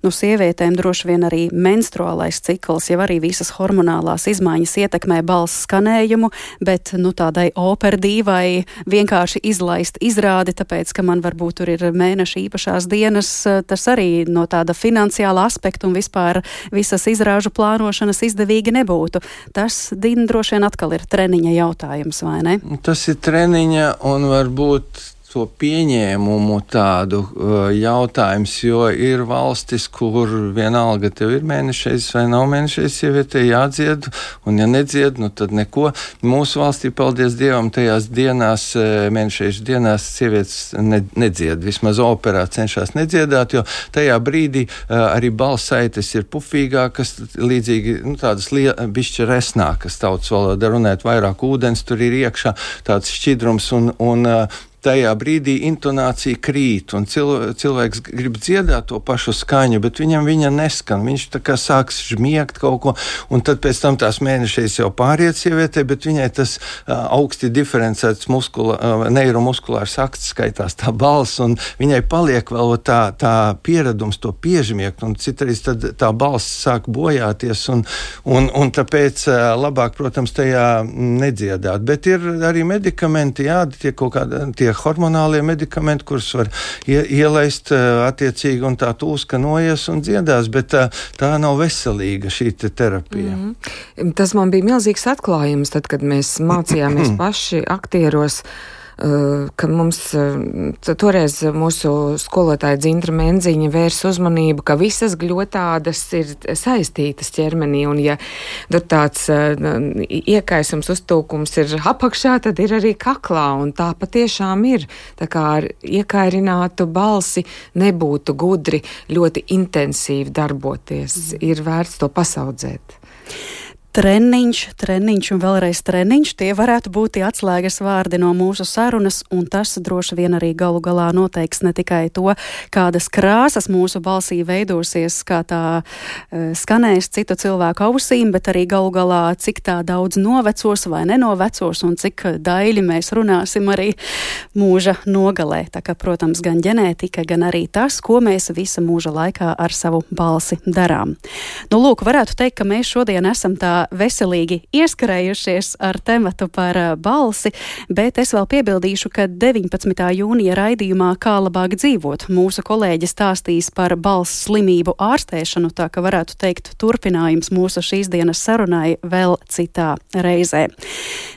nu sievietēm droši vien arī menstruālais cikls, jau arī visas hormonālās izmaiņas ietekmē balss skanējumu, bet nu tādai operdīvai vienkārši izlaist izrādi, tāpēc, ka man varbūt tur ir mēneša īpašās dienas, tas arī no tāda finansiāla aspekta un vispār visas izrāžu plānošanas izdevīgi nebūtu. Tas, Dina, droši vien atkal ir treniņa jautājums, vai ne? Tas ir treniņa un varbūt to pieņēmumu tādu uh, jautājums, jo ir valstis, kur vienalga tev ir mēnešreiz vai nav mēnešreiz sievietē jādzied, un ja nedzied, nu tad neko. Mūsu valstī, paldies Dievam, tajās dienās, mēnešreiz dienās sievietes ne, nedzied, vismaz operā cenšas nedziedāt, jo tajā brīdī uh, arī balss saites ir pufīgākas, līdzīgi, nu tādas bišķi resnākas tautas valodā runāt, vairāk ūdens tur ir iekšā, tāds šķidrums un, un uh, tajā brīdī intonācija krīt, un cil, cilvēks grib dziedāt to pašu skaņu, bet viņam viņa neskan. Viņš tā kā sāks žmiegt kaut ko, un tad pēc tam tās mēnešreiz jau pāriet sievietē, bet viņai tas uh, augsti diferencēts muskula, uh, neiromuskulārs akts skaitās tā balss, un viņai paliek vēl tā, tā pieredums to piežmiegt, un citreiz tad tā balss sāk bojāties, un, un, un tāpēc uh, labāk, protams, tajā nedziedāt. Bet ir arī medikamenti, jā, tie kaut kādi, tie hormonālie medikamenti, kurus var ie, ielaist attiecīgi, un tā tūska noies un dziedās, bet tā, tā nav veselīga šī te terapija. Mm-hmm. Tas man bija milzīgs atklājums, tad, kad mēs mācījāmies paši aktieros, ka mums toreiz mūsu skolotāja Dzintra Menziņa vērs uzmanību, ka visas gļotādas ir saistītas ķermenī, un ja tur tāds iekaisums, uztūkums ir apakšā, tad ir arī kaklā, un tā patiešām ir. Tā kā ar iekairinātu balsi nebūtu gudri ļoti intensīvi darboties. Ir vērts to pasaudzēt. Treniņš, treniņš un vēlreiz treniņš, tie varētu būt tie atslēgas vārdi no mūsu sarunas, un tas droši vien arī galu galā noteiks ne tikai to, kādas krāsas mūsu balsī veidosies, kā tā uh, skanēs citu cilvēku ausīm, bet arī galu galā, cik tā daudz novecos vai nenovecos, un cik daļi mēs runāsim arī mūža nogalē. Tā kā, protams, gan ģenētika, gan arī tas, ko mēs visa mūža laikā ar savu balsi darām. Nu, lūk, varētu teikt, ka mēs šodien esam tā veselīgi ieskarējušies ar tematu par balsi, bet es vēl piebildīšu, ka deviņpadsmitā jūnija raidījumā Kā labāk dzīvot mūsu kolēģi stāstīs par balss slimību ārstēšanu, tā ka varētu teikt turpinājums mūsu šīs dienas sarunai vēl citā reizē.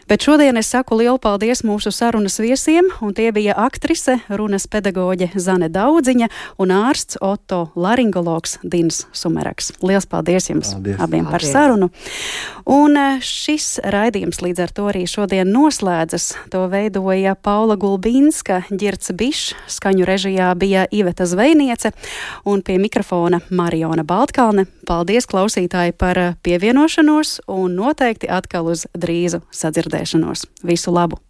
Bet šodien es saku lielu paldies mūsu sarunas viesiem, un tie bija aktrise, runas pedagoģe Zane Daudziņa un ārsts Oto laringologs Dins Sumeraks. Liels paldies jums paldies. abiem paldies. par sarunu. Un šis raidījums līdz ar to arī šodien noslēdzas. To veidoja Paula Gulbīnska, Ģirds Bišs, skaņu režijā bija Iveta Zvejniece un pie mikrofona Mariona Baltkalne. Paldies, klausītāji, par pievienošanos un noteikti atkal uz drīzu sadzirdēšanos. Visu labu!